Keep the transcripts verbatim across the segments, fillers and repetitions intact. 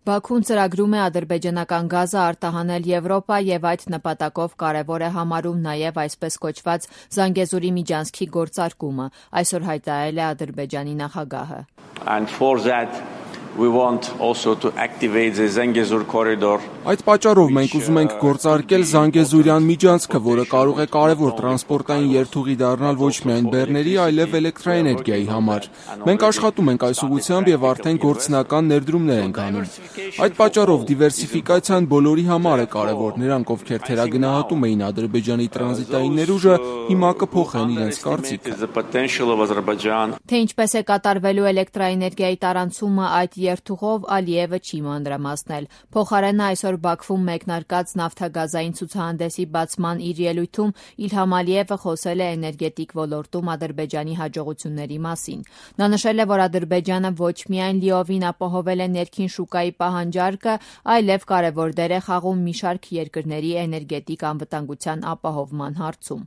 Բաքուն ծրագրում է ադրբեջանական գազը արտահանել Եվրոպա եւ այդ նպատակով կարեւոր է համարում նաեւ այսպես կոչված Զանգեզուրի միջանցքի գործարկումը, այսօր հայտարարել է Ադրբեջանի նախագահը. And for that we want also to activate the Zangezur corridor. Այդ պատճառով մենք ուզում ենք գործարկել Զանգեզուրյան միջանցքը, որը կարող է կարևոր տրանսպորտային երթուղի դառնալ ոչ միայն բեռների, այլև էլեկտրաէներգիայի համար։ Մենք աշխատում ենք այս ուղղությամբ եւ արդեն գործնական ներդրումներ ենք անում։ Այդ պատճառով դիվերսիֆիկացիան բոլորի համար է կարևոր։ Նրանք, ովքեր թերագնահատում էին Ադրբեջանի տրանզիտային ներուժը, հիմա կփոխեն իրենց կարծիքը։ Թե ինչպես է կատարվելու էլեկտրաէներգիայի տարանցումը այդ երթուղով, Ալիևը չի մանրամասնել։ Փոխարենը այսօր Բաքվում մեկնարկած նավթագազային ցուցահանդեսի բացման իր ելույթում Իլհամ Ալիևը խոսել է էներգետիկ ոլորտում Ադրբեջանի հաջողությունների մասին։ Նա նշել է, որ Ադրբեջանը ոչ միայն լիովին ապահովել է ներքին շուկայի պահանջարկը, այլև կարևոր դեր է խաղում մի շարք երկրների էներգետիկ անվտանգության ապահովման հարցում։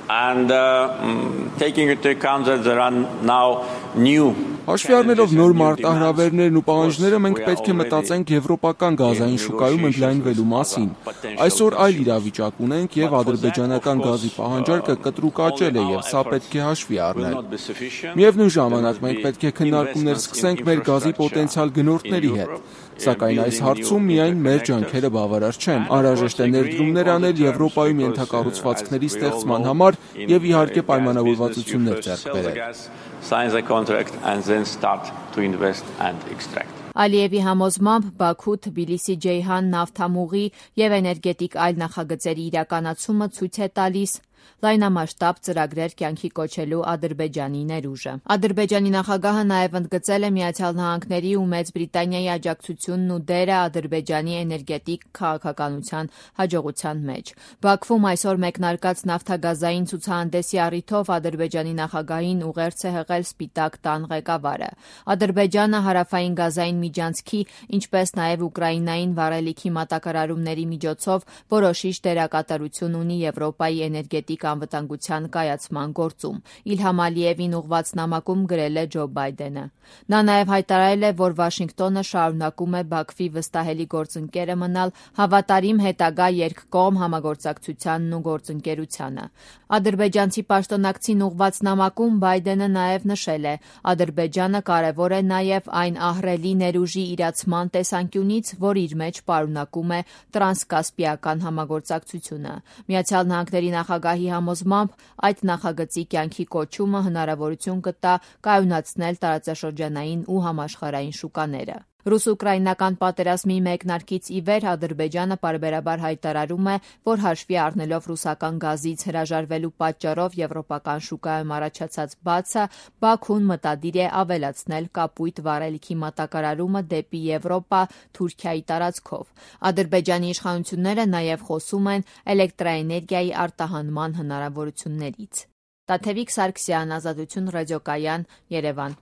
And uh, taking into account that there are now new Հաշվի առնելով նոր մարտահրավերներն ու պահանջները, մենք պետք է մտածենք եվրոպական գազային շուկայում ընդլայնվելու մասին։ Այսօր այլ իրավիճակ ունենք եւ ադրբեջանական գազի պահանջարկը կտրուկ աճել է եւ սա պետք է հաշվի առնել։ Միևնույն ժամանակ մենք պետք է քննարկումներ սկսենք մեր գազի պոտենցիալ գնորդների հետ։ Սակայն այս հարցում միայն մեր ջանքերը բավարար չեն։ Անհրաժեշտ է ներդրումներ անել Եվրոպայում ենթակառուցվածքների ստեղծման համար եւ իհարկե պայմանավորվածություններ ձեռք բերել։ Sign the contract and then start to invest and extract. Ալիևի համոզմամբ Բաքու, Թբիլիսի, Ջեյհան, նավթամուղի եւ էներգետիկ այլ նախագծերի իրականացումը ցույց է տալիս լայնամասշտաբ ծրագրեր կյանքի կոչելու Ադրբեջանի ներուժը։ Ադրբեջանի նախագահը նաև ընդգծել է Միացյալ Նահանգների ու Մեծ Բրիտանիայի աջակցությունն ու դերը Ադրբեջանի էներգետիկ քաղաքականության հաջողության մեջ։ Բաքվում այսօր մեկնարկած նավթագազային ցուցահանդեսի առիթով Ադրբեջանի նախագահին ուղերձ է հղել Սպիտակ տան ղեկավարը։ Ադրբեջանը հարավային գազային միջանցքի, ինչպես նաև Ուկրաինային վառելիքի մատակարարումների միջոցով որոշիչ դերակատարություն ունի Եվրոպայի էներգետիկ անվտանգության կայացման գործում։ Իլհամ Ալիևին ուղված նամակում գրել է Ջո Բայդենը։ Նա նաև հայտարարել է, որ Վաշինգտոնը շարունակում է Բաքվի վստահելի գործընկերը մնալ հավատարիմ հետագա երկկողմ համագործակցությանն ու գործընկերությանը։ Ադրբեջանցի պաշտոնակցին ուղված նամակում Բայդենը նաև նշել է. Ադրբեջանը կարևոր է նաև այն ահռելի ներուժի իրացման տեսանկյունից, որ իր մեջ պարունակում է տրանսկասպիական համագործակցությունը։ Միացյալ Նահանգների նախագահի համոզմամբ այդ նախագծի կյանքի կոչումը հնարավորություն կտա կայունացնել տարածաշրջանային ու համաշխարհային շուկաները։ Ռուս-ուկրաինական պատերազմի մեկնարկից ի վեր Ադրբեջանը պարբերաբար հայտարարում է, որ հաշվի առնելով ռուսական գազից հրաժարվելու պատճառով եվրոպական շուկայում առաջացած բացը, Բաքուն մտադիր է ավելացնել կապույտ վառելիքի մատակարարումը դեպի Եվրոպա Թուրքիայի տարածքով։ Ադրբեջանի իշխանությունները նաև խոսում են էլեկտրաէներգիայի արտահանման հնարավորություններից։ Տաթևիկ Սարգսյան, Ազատություն ռադիոկայան, Երևան։